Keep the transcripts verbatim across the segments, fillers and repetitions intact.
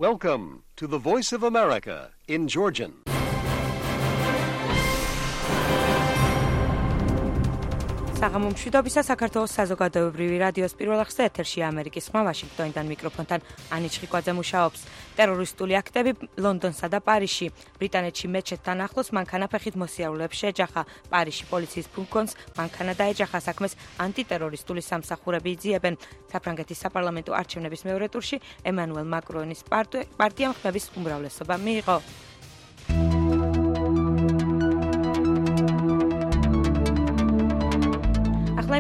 Welcome to the Voice of America in Georgian. საღამო მშვიდობისა საქართველოს საზოგადოებრივი რადიოს პირველ ახსნა ეთერში ამერიკის ხმა ვაშინგტონიდან მიკროფონთან ანი ჩხიკვაძე მუშაობს. ტერორისტული აქტები ლონდონსა და პარიზში. ბრიტანეთში მეჩეთთან ახლოს მანქანაფეხით მოსიარულეებს შეეჯახა. პარიზში პოლიციის ფურგონს მანქანა დაეჯახა, საქმეს ანტიტერორისტული სამსახურები იძიებენ. საფრანგეთის საპარლამენტო არჩევნების მეორე ტურში ემანუელ მაკრონის პარტიამ ხმების უმრავლესობა მიიღო.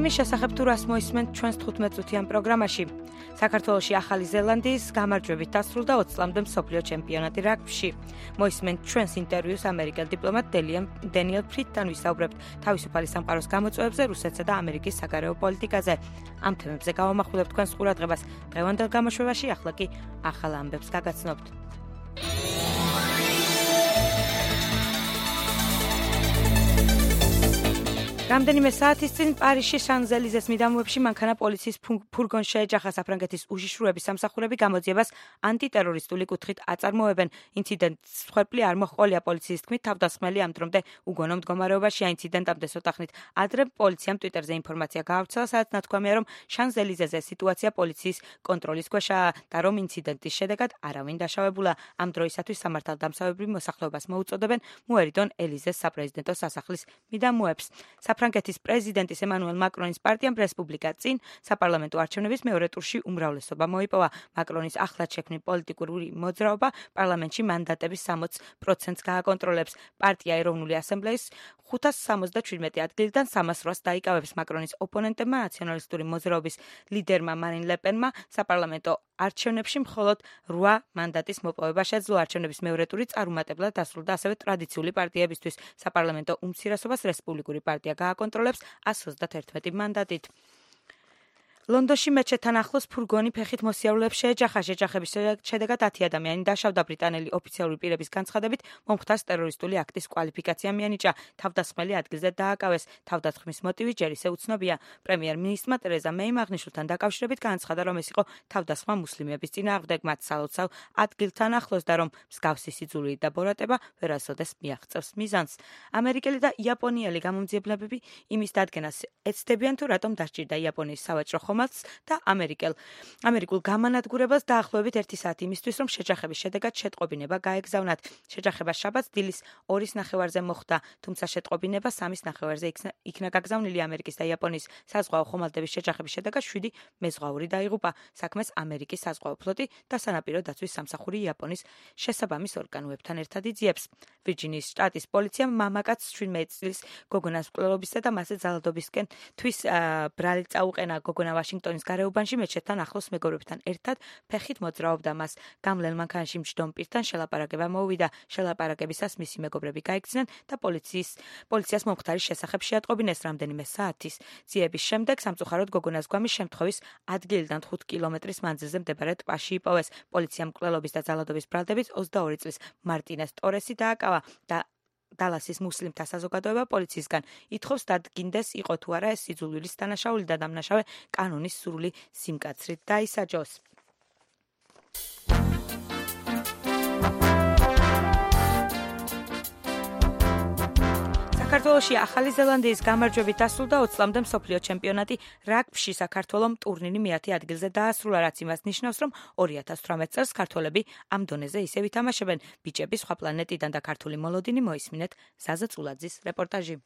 იმის შესახებ თუ რას მოისმენთ ჩვენს თხუთმეტ წუთიან პროგრამაში. საქართველოში ახალი ზელანდიის გამარჯვებით დასრულდა ოცი წლამდე მსოფლიო ჩემპიონატი რაგბიში. მოისმენთ ჩვენს ინტერვიუს ამერიკელ დიპლომატ დენიელ ფრიდთან, ვისაუბრებთ თავისუფალი სამყაროს გამოწვევებზე, რუსეთსა და ამერიკის საგარეო პოლიტიკაზე. ამ თემებზე გავამახვილებთ თქვენს ყურადღებას დღევანდელ გამოშვებაში, ახლა კი ახალ ამბებს გაგაცნობთ. რამდენიმე საათის წინ პარიზში შანზელიზეს მიდამოებში მანქანა პოლიციის ფურგონს შეეჯახა. საფრანგეთის უშიშროების სამსახურები გამოძიებას ანტიტერორისტული კუთხით აწარმოებენ. ინციდენტს მსხვერპლი არ მოჰყოლია პოლიციის თქმით, თავდასხმელი ამ დრომდე უგონო მდგომარეობაშია. ინციდენტამდე ცოტა ხნით ადრე პოლიციამ ტვიტერზე ინფორმაცია გაავრცელა, სადაც ნათქვამია, რომ შანზელიზეზე სიტუაცია პოლიციის კონტროლის ქვეშაა და რომ ინციდენტის შედეგად არავინ დაშავებულა. ამ დროისათვის სამართალდამცავებრივ მოსახლეობას მოუწოდებენ მოერიდონ ელიზეს საპრეზიდენტო სასახლის მიდამოებს. საფრანგეთის პრეზიდენტის ემანუელ მაკრონის პარტიამ რესპუბლიკა წინ საპარლამენტო არჩევნების მეორე ტურში უმრავლესობა მოიპოვა. მაკრონის ახლად შექმნილი პოლიტიკური მოძრაობა პარლამენტში მანდატების სამოცი პროცენტს გააკონტროლებს. პარტია ეროვნული ასამბლეის ხუთას სამოცდაჩვიდმეტი ადგილიდან სამას რვას დაიკავებს. მაკრონის ოპონენტებმა, ნაციონალისტური მოძრაობის ლიდერმა მარინ ლე პენმა საპარლამენტო არჩევნებში მხოლოდ რვა მანდატის მოპოვება შეძლო. არჩევნების მეორე ტური წარუმატებლად დასრულდა ასევე ტრადიციული პარტიებისთვის. საპარლამენტო უმცირესობას რესპუბლიკური პარტია გააკონტროლებს ას ოცდაათერთმეტი მანდატით. ლონდონში მეჩეთთან ახლოს ფურგონი ფეხით მოსიარულეებს შეეჯახა. შეჯახების შედეგად ათი ადამიანი დაშავდა. ბრიტანელი ოფიციალური პირების განცხადებით მომხდარს ტერორისტული აქტის კვალიფიკაცია მიანიჭა. თავდასხმელი ადგილზე დააკავეს. თავდასხმის მოტივი ჯერ ისე უცნობია. პრემიერ-მინისტრმა ტერეზა მეიმ აღნიშნულთან დაკავშირებით განაცხადა, რომ ეს იყო თავდასხმა მუსლიმების წინააღმდეგ მათ სალოცავ ადგილთან ახლოს და რომ მსგავსი სიძულვი და ბორატება ვერასოდეს მიაღწევს მიზანს. ამერიკელი და იაპონიელი გამომძიებლებები იმის დადგენას ეცდებიან, თუ რატომ დასჭირდა იაპონიის სავაჭრო და ამერიკელ ამერიკულ გამანადგურებელს დაახლოებით ერთი საათი იმისთვის, რომ შეჯახების შედეგად შეტყობინება გაეგზავნათ. შეჯახება შაბათს დილის ორის ნახევარზე მოხდა, თუმცა შეტყობინება სამის ნახევარზე იქნა გაგზავნილი. ამერიკის და იაპონიის საზღვაო ხომალდების შეჯახების შედეგად შვიდი მეზღვაური დაიღუპა. საქმეს ამერიკის საზღვაო ფლოტი და სანაპირო დაცვის სამსახური იაპონიის შესაბამის ორგანოებთან ერთად იძიებს. ვირჯინიის შტატის პოლიციამ მამაკაცს შვიდმეტი წლის გოგონას მკვლელობისა და მასზე ძალადობისკენ თვის ბრალი წაუყენა. გოგონა ვაშინგტონის გარეუბანში მეჩეთთან ახლოს მეგობრებთან ერთად ფეხით მოძრაობდა. მას გამლელ მანქანაში მჯდომ პირთან შელაპარაკება მოუვიდა. შელაპარაკებისას მისი მეგობრები გაიქცნენ და პოლიციის პოლიციას მომხდარის შესახებ შეატყობინეს. რამდენიმე საათის ძიების შემდეგ სამწუხაროდ გოგონას გვამის შემთხვევის ადგილიდან ხუთ კილომეტრის მანძილზე მდებარე ტბაში იპოვეს. პოლიციამ მკვლელობის და ძალადობის ბრალდებით ოცდაორი წლის მარტინეს ტორესი დააკავა და დალასის მუსლიმთა საზოგადოება პოლიციისგან ითხოვს დადგინდეს, იყო თუ არა ეს სიძულვილის დანაშაული და დამნაშავე კანონის სრული სიმკაცრით დაისაჯოს. საქართველოში ახალი ზელანდიის გამარჯვებით დასრულდა ოცი წლამდე მსოფლიო ჩემპიონატი რაგბიში. საქართველომ ტურნირი მეათე ადგილზე დაასრულა, რაც იმას ნიშნავს, რომ ორი ათას თვრამეტ წელს ქართველები ამ დონეზე ისევ ითამაშებენ. ბიჭები სხვა პლანეტიდან და ქართული მოლოდინი მოისმინეთ ზაზა წულაძის რეპორტაჟი.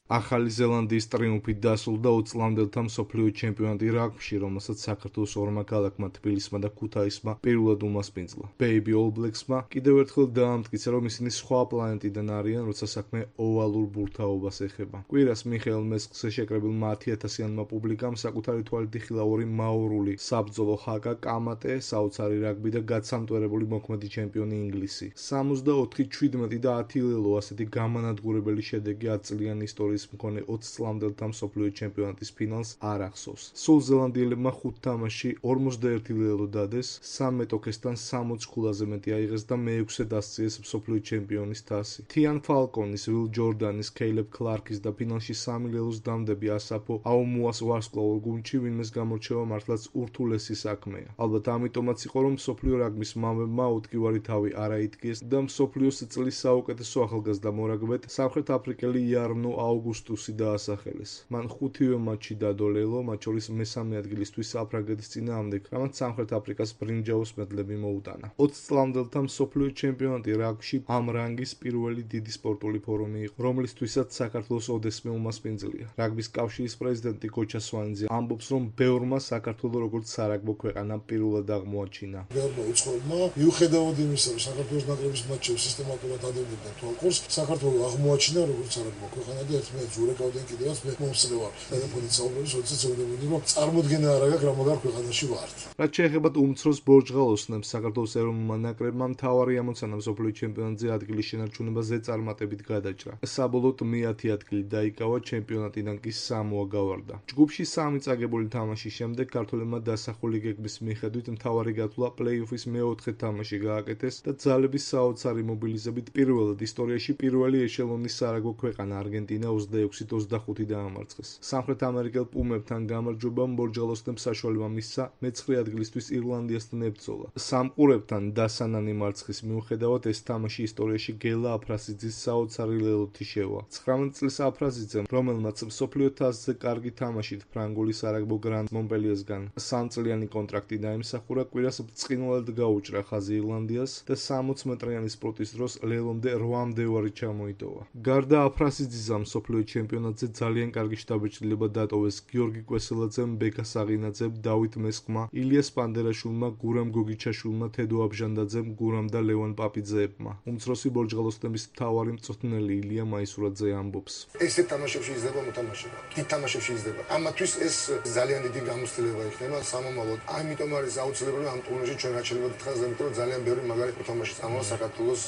ახალი ზელანდიის ტრიუმფით დასრულდა ოცი წლამდელთა მსოფლიო ჩემპიონატი რაგბიში, რომელსაც საქართველოს ორმა ქალაქმა თბილისმა და ქუთაისმა პირველად უმასპინძლა. Baby All Blacks-მა კიდევ ერთხელ დაამტკიცა, რომ ისინი სხვა პლანეტიდან არიან, როცა საქმე ოვალურ ბურთაობას ეხება. კვირას მიხეილ მესკზე შეკრებილმა ათი ათასიანმა პუბლიკამ საკუთარი თვალით იხილა ორი მაორული საბრძოლო ჰაკა, კამატე, საოცარი რაგბი და გაცამტვერებული მოქმედი ჩემპიონი ინგლისი. სამოცდაოთხი შვიდმეტი და ათი ლელო ასეთი გამანადგურებელი შედეგი ათწლიანი ისტორიის წარწერის მქონე ოცი წლამდელთა მსოფლიო ჩემპიონატის ფინალს არ ახსოვს. სულ ზელანდიელებმა ხუთ თამაშში ორმოცდაერთი ლელო დადეს, სამ მეტოქესთან სამოცი ქულაზე მეტი აიღეს და მეექვსედ ასწიეს მსოფლიო ჩემპიონის თასი. თიან ფალკონის, ვილ ჯორდანის, კეილებ კლარკის და ფინალში სამი ლელოს დამდები ასაფო აუმუას ვარსკვლავურ გუნდში ვინმეს გამორჩევა მართლაც ურთულესი საქმეა. ალბათ ამიტომაც იყო რომ მსოფლიო რაგბის მამებმა უთქივარი თავი არ აითქიეს და მსოფლიოს წლის საუკეთესო ახალგაზრდა მორაგბედ სამხრეთ აფრიკელი იარნო აუგუსტუსი დაასახელეს. მან ხუთივე მატჩი დადო ლელო, მათ შორის მესამე ადგილისთვის საფრანგეთის წინააღმდეგ, რამაც სამხრეთ აფრიკას ბრინჯაოს მედლები მოუტანა. ოცი წლამდელთა მსოფლიო ჩემპიონატი რაგბში ამ რანგის პირველი დიდი სპორტული ფორუმი იყო, რომლისთვისაც საქართველოს ოდესმე უმასპინძლია. რაგბის კავშირის პრეზიდენტი გოჩა სვანიძე ამბობს, რომ ბევრმა საქართველოს როგორც სარაგბო ქვეყანა პირველად აღმოაჩინა. ბევრმა უცხოელმა მიუხედავად იმისა, რომ საქართველოს ნაკრების მატჩებს სისტემატურად ადევნებდნენ თვალყურს, საქართველოს აღმოაჩინა როგორც სარაგბო ქვეყანა და ერთმანეთს ურეკავდნენ კიდევაც მე მომსწრე ვარ. ტელეფონით საუბრობთ, როდესაც ზოგადად რომ წარმოდგენა არ აქვს რა მაგარ ქვეყანაში ვართ. რაც შეეხება უმცროს ბორჯღალოსნებს, საქართველოს ეროვნულმა ნაკრებმა მთავარი ამოცანა მსოფლიო ჩემპიონატზე ადგილის შენარჩუნებაზე წარმატებით გადაჭრა. საბოლოოდ მეათე ადგილი დაიკავა, ჩემპიონატიდან კი სამოა გავარდა. ჯგუფში სამი წაგებული თამაშის შემდეგ ქართველებმა დასახული გეგმის მიხედვით მთავარი გათვლა პლეი-ოფის მეოთხე თამაში გააკეთეს და ძალების საოცარი მობილიზებით პირველად ისტორიაში პირველი ეშელონის სარაგბო ქვეყანა არგენტინა ოცდაექვსით ოცდახუთი დაამარცხეს. სამხრეთ ამერიკელ პუმებთან გამარჯვებამ ბორჯღალოსნებს საშუალება მისცა მეცხრე ადგილისთვის ირლანდიასთან ებრძოლა. სამყურებთან დასანანი მარცხის მიუხედავად ეს თამაში ისტორიაში გელა აფრასიძის საოცარი ლელოთი შევა. ცხრამეტ წლის აფრასიძემ, რომელმაც მსოფლიო თასზე კარგი თამაშით ფრანგული სარაგბო გრანდ მონპელიესგან სამწლიანი კონტრაქტი დაიმსახურა, კვირას ბრწყინვალედ გაუჭრა ხაზი ირლანდიას და სამოცი მეტრიანი სპორტის დროს ლელომდე რვამდე ვარი ჩამოიტოვა. გარდა აფრასიძისა მსოფლიო ჩემპიონატზე ძალიან კარგი შთაბეჭდილება დატოვეს გიორგი კვესელაძემ, ბეკა საღინაძემ, დავით მესხმა, ილიას პანდერაშვილმა, გურამ გოგიჩაშვილმა, თედო აბჟანდაძემ, გურამ და ლევან პაპიძეებმა. უმცროსი ბორჯღალოსნების მთავარი მწვრთნელი ილია მაისურაძე ამბობს. ესე თამაშებში იზრდება მოთამაშეობა. დიდ თამაშებში იზრდება. ამათვის ეს ძალიან დიდი გამოცდილება იქნება სამომავლოდ. ამიტომ არის აუცილებელი ამ ტურნირში ჩვენ რაც შეიძლება გითხრას, იმიტომ რომ ძალიან ბევრი მაგარი მოთამაშე წამოვა საქართველოს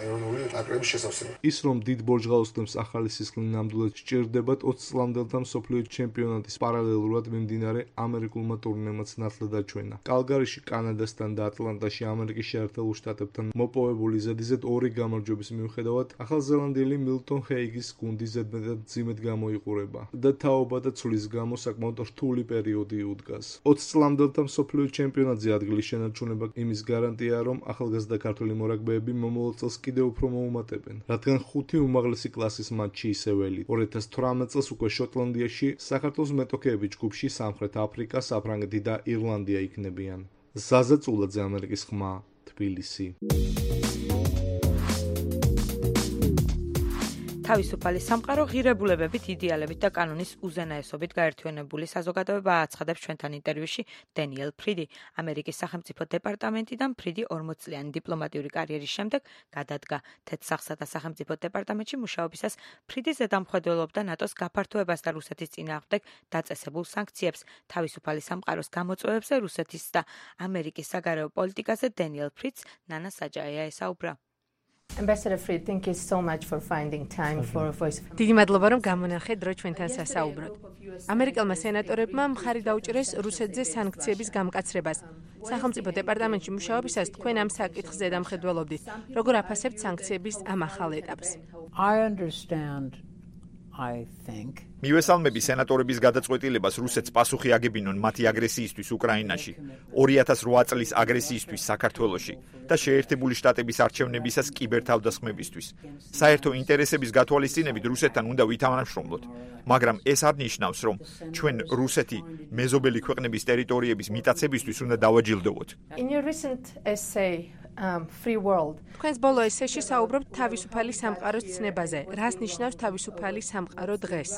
ეროვნული ნაკრების შესავსებად. ის რომ დიდ ბორჯღალოსნებს ახალი სისხლი ნამდვილად სჭირდებათ, ოცი წლამდელთა მსოფლიო ჩემპიონატის პარალელურად მიმდინარე ამერიკულმა ტურნირებმაც ნათლად აჩვენა. კალგარიში კანადასთან და ატლანტაში ამერიკის შეერთებულ შტატებთან მოპოვებული ზედიზედ ორი გამარჯვების მიუხედავად, ახალზელანდიელი მილტონ ჰეიგის გუნდი ზედმეტად მძიმედ გამოიყურება და თაობა და ცვლის გამო საკმაოდ რთული პერიოდი უდგას. ოცი წლამდელთა მსოფლიო ჩემპიონატზე ადგილის შენარჩუნება იმის გარანტია, რომ ახალგაზრდა ქართველი მორაგბეები მომავალ წელს კიდევ უფრო მოუმატებენ, რადგან ხუთი უმაღლესი კლასის მატჩი ისევ ელით. ორ ათას თვრამეტ წელს უკვე შოტლანდიაში საქართველოს მეტოქეები ჯგუფში სამხრეთ აფრიკა, საფრანგეთი და ირლანდია იქნებიან. ზაზა წულაძე, ამერიკის ხმა, თბილისი. თავისუფალი სამყარო ღირებულებებით, იდეალებით და კანონის უზენაესობით გაერთიანებული საზოგადოება აცხადებს ჩვენთან ინტერვიუში დენიელ ფრიდი. ამერიკის სახელმწიფო დეპარტამენტიდან ფრიდი ორმოცწლიანი დიპლომატიური კარიერის შემდეგ გადადგა თეთრსახსა და სახელმწიფო დეპარტამენტში მუშაობისას. ფრიდი ზედამხედველობდა ნატოს გაფართოებას და რუსეთის წინააღმდეგ დაწესებულ სანქციებს. თავისუფალი სამყაროს გამოწვევებზე რუსეთის და ამერიკის საგარეო პოლიტიკაზე დენიელ ფრიდს ნანა საჯაია ესაუბრა. Ambassador Fried, thank you so much for finding time for a voice. დიდი მადლობა რომ გამონახეთ დრო ჩვენთან სასაუბროდ. ამერიკელმა სენატორებმა მხარი დაუჭირეს რუსეთზე სანქციების გამკაცრებას. სახელმწიფო დეპარტამენტში მუშაობისას თქვენ ამ საკითხს ზედამხედველობდით. როგორ აფასებთ სანქციების ამ ახალ ეტაპს? I understand, I think. მივესალმები სენატორების გადაწყვეტილებას რუსეთს პასუხი აგებინონ მათი აგრესიისთვის უკრაინაში, ორი ათას რვა წლის აგრესიისთვის საქართველოში და შეერთებული შტატების არჩევნებისას კიბერთავდასხმებისთვის. საერთო ინტერესების გათვალისწინებით რუსეთთან უნდა ვითანამშრომლოთ, მაგრამ ეს არ ნიშნავს, რომ ჩვენ რუსეთი მეზობელი ქვეყნების ტერიტორიების მიტაცებისთვის უნდა დავაჯილდოვოთ. In your recent essay, um, Free World. თქვენს ბოლო ესეში საუბრობთ თავისუფალი სამყაროს ცნებაზე. რას ნიშნავს თავისუფალი სამყარო დღეს?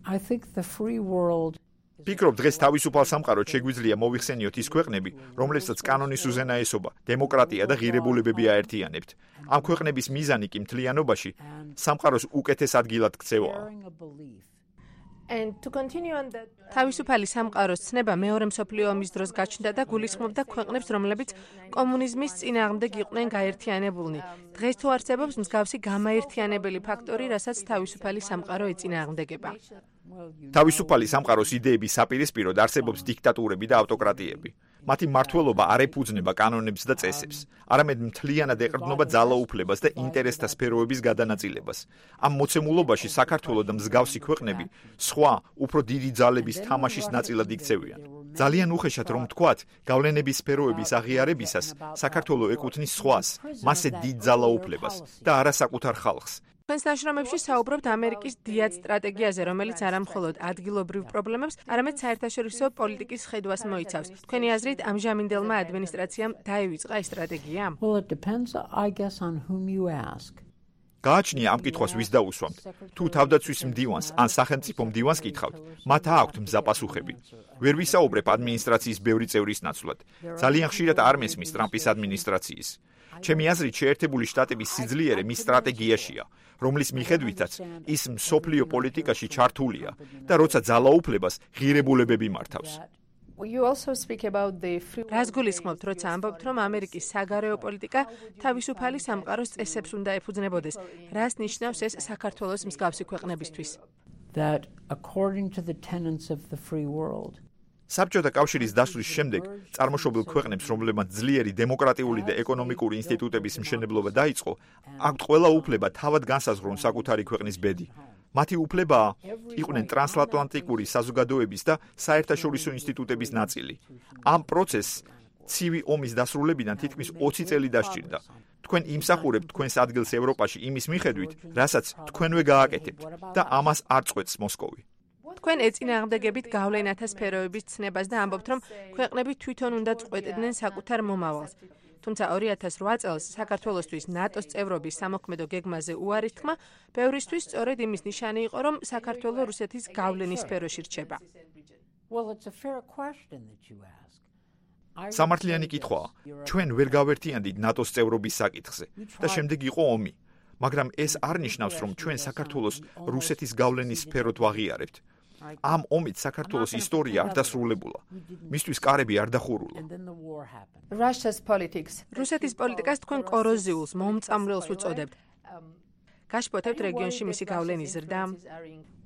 I think the free world ფიქრობ დღეს თავისუფალ სამყაროდ შეგვიძლია მოვიხსენიოთ ის ქვეყნები, რომლებსაც კანონის უზენაესობა, დემოკრატია და ღირებულებები აერთიანებთ. ამ ქვეყნების მიზანი კი მთლიანობაში სამყაროს უკეთეს ადგილად ქცევაა. And to continue on that თავისუფალი სამყაროს ცნება მეორე მსოფლიო ომის დროს გაჩნდა და გულისხმობდა ქვეყნებს, რომლებიც კომუნიზმის წინააღმდეგ იყვნენ გაერთიანებულნი. დღეს თუ არსებობს მსგავსი გამაერთიანებელი ფაქტორი, რასაც თავისუფალი სამყარო ეწინააღმდეგება. თავისუფალი სამყაროს იდეების საპირისპიროდ არსებობს დიქტატურები და ავტოკრატიები. მათი მმართველობა არ ეფუძნება კანონებს და წესებს, არამედ მთლიანად ეყრდნობა ძალაუფლებას და ინტერესთა სფეროების გადანაწილებას. ამ მოცემულობაში საქართველოს და მსგავსი ქვეყნები სხვა, უფრო დიდი ძალების თამაშის ნაწილად იქცევიან. ძალიან უხეშად რომ ვთქვათ, გავლენების სფეროების აღიარებისას საქართველოს ეკუთვნის სხვას, მასზე დიდ ძალაუფლებას და არა საკუთარ ხალხს. Თქვენს ნაშრომებში საუბრობთ ამერიკის დიად სტრატეგიაზე, რომელიც არა მხოლოდ ადგილობრივ პრობლემებს, არამედ საერთაშორისო პოლიტიკის ხედვას მოიცავს. თქვენი აზრით, ამჟამინდელმა ადმინისტრაციამ დაივიწყა ეს სტრატეგია? Well, it depends, I guess, on whom you ask. გააჩნია ამ კითხვას ვის დაუსვამთ. თუ თავდაცვის მდივანს ან სახელმწიფო მდივანს კითხავთ, მათ აქვთ მზაპასუხები. ვერ ვისაუბრებ ადმინისტრაციის ბევრი წევრის ნაცვლად. ძალიან ხშირად არ მესმის ტრამპის ადმინისტრაციის. ჩემი აზრით, შეერთებული შტატების სიძლიერე მის სტრატეგიაშია, რომლის მიხედვითაც ის მსოფლიო პოლიტიკაში ჩართულია და როცა ძალაუფლებას ღირებულებები მართავს. You also speak about the free რას გულისხმობთ, როცა ამბობთ, რომ ამერიკის საგარეო პოლიტიკა თავისუფალი სამყაროს წესებს უნდა ეფუძნებოდეს? რას ნიშნავს ეს საქართველოს მსგავსი ქვეყნებისთვის? That according to the tenets of the free world, საბჭოთა კავშირის დასვლის შემდეგ წარმოშობილ ქვეყნებს, რომლებმაც ძლიერი დემოკრატიული და ეკონომიკური ინსტიტუტების მშენებლობა დაიწყო, აქვთ ყველა უფლება თავად განსაზღვრონ საკუთარი ქვეყნის ბედი. მათი უფლებაა იყვნენ ტრანსატლანტიკური საზოგადოების და საერთაშორისო ინსტიტუტების ნაწილი. ამ პროცესს ცივი ომის დასრულებიდან თითქმის ოცი წელი დასჭირდა. თქვენ იმსახურებთ თქვენს ადგილს ევროპაში იმის მიხედვით, რასაც თქვენვე გააკეთებთ და ამას არ წყვეტს მოსკოვი. თქვენ ეწინააღმდეგებით გავლენათა სფეროების ცნებას და ამბობთ, რომ ქვეყნები თვითონ უნდა წყვეტდნენ საკუთარ მომავალს. თუმცა ორი ათას რვა წელს საქართველოსთვის ნატოს წევრობის სამოქმედო გეგმაზე უარის თქმა, ბევრისთვის სწორედ იმის ნიშანი იყო, რომ საქართველო რუსეთის გავლენის სფეროში რჩება. well, it's a fair question that you ask. სამართლიანი კითხვაა, ჩვენ ვერ გავერთიანდით ნატოს წევრობის საკითხზე და შემდეგ იყო ომი, მაგრამ ეს არ ნიშნავს, რომ ჩვენ საქართველოს რუსეთის გავლენის სფეროთ ვაღიარებთ. ამ ომით საქართველოს ისტორია არ დასრულებულა. მისთვის კარები არ დახურულა. Russia's politics. რუსეთის პოლიტიკას თქვენ კოროზიულს, მომწამლელს უწოდებთ. გაშფოთებთ რეგიონში მისი გავლენის ზრდა?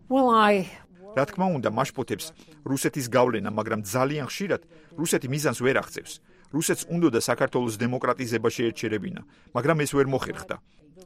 Well, I რა თქმა უნდა, მაშფოთებს რუსეთის გავლენა, მაგრამ ძალიან ხშირად რუსეთი მიზანს ვერ აღწევს. რუსეთს უნდოდა საქართველოს დემოკრატიზება შეერჩერებინა, მაგრამ ეს ვერ მოხერხდა.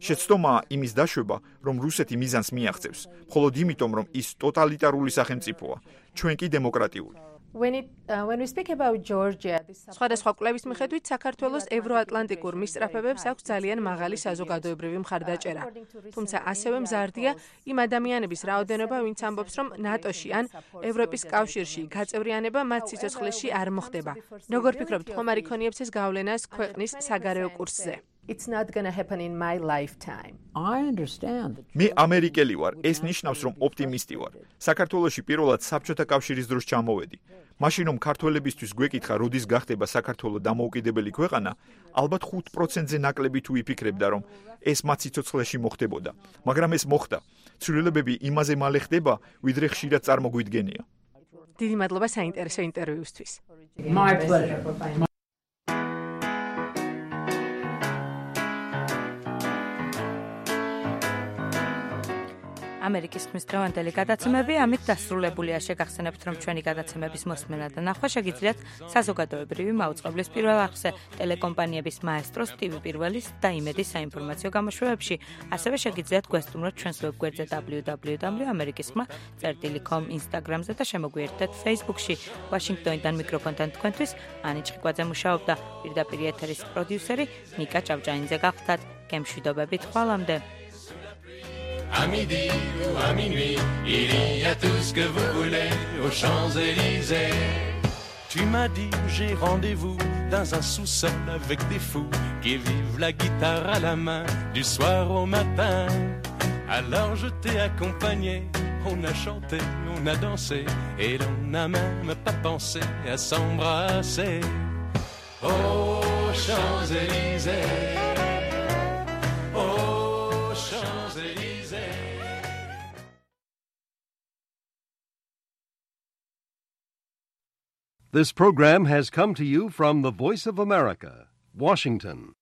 შეცდომაა იმის დაშვება, რომ რუსეთი მიზანს მიაღწევს, მხოლოდ იმიტომ, რომ ის ტოტალიტარული სახელმწიფოა, ჩვენ კი დემოკრატიული. When it uh, when we speak about Georgia, this სხვადასხვა კვლევის მიხედვით საქართველოს ევროატლანტიკურ მისწრაფებებს აქვს ძალიან მაღალი საზოგადოებრივი მხარდაჭერა. თუმცა ასევე მზარდია იმ ადამიანების რაოდენობა, ვინც ამბობს, რომ ნატოში ან ევროპის კავშირში გაწევრიანება მათ სიცოცხლეში არ მოხდება. როგორ ფიქრობთ, ხომ არ იქონიებს ეს გავლენას ქვეყნის საგარეო კურსზე? it's not going to happen in my lifetime. I understand. მე ამერიკელი ვარ, ეს ნიშნავს, რომ ოპტიმისტი ვარ. საქართველოში პირველად საბჭოთა კავშირის დროს ჩამოვედი. მაშინ რომ ქართველებისთვის გვეკითხა, როდის გახდება საქართველო დამოუკიდებელი ქვეყანა, ალბათ ხუთ პროცენტზე ნაკლები თუ იფიქრებდა, რომ ეს მათ სიცოცხლეში მოხდებოდა. მაგრამ ეს მოხდა. ცვლილებები იმაზე მალე ხდება, ვიდრე ხშირად წარმოგვიდგენია. დიდი მადლობა საინტერესო ინტერვიუსთვის. My pleasure. ამერიკის ხმის დღევანდელი გადაცემები ამით დასრულებულია. შეგახსენებთ, რომ ჩვენი გადაცემების მოსმენა და ნახვა შეგიძლიათ საზოგადოებრივი მაუწყებლის პირველ არხზე, ტელეკომპანიების მაესტროს, ტივი პირველის და იმედის საინფორმაციო გამოშვებებში. ასევე შეგიძლიათ გვესტუმროთ ჩვენს ვებგვერდზე double-u double-u double-u dot amerikis kma dot com, Instagram-ზე და შემოგვიერთდეთ Facebook-ში. ვაშინგტონიდან მიკროფონთან თქვენთვის ანი ჭყიკვაძე მუშაობდა. პირდაპირ ეთერის პროდიუსერი ნიკა ჭავჭანიძე გახლდათ. გემშვიდობებით ხვალამდე. À midi ou à minuit, il y a tout ce que vous voulez aux Champs-Élysées. Tu m'as dit, j'ai rendez-vous dans un sous-sol avec des fous qui vivent la guitare à la main du soir au matin. Alors je t'ai accompagné, on a chanté, on a dansé et l'on n'a même pas pensé à s'embrasser. Aux Champs-Élysées. This program has come to you from the Voice of America, Washington.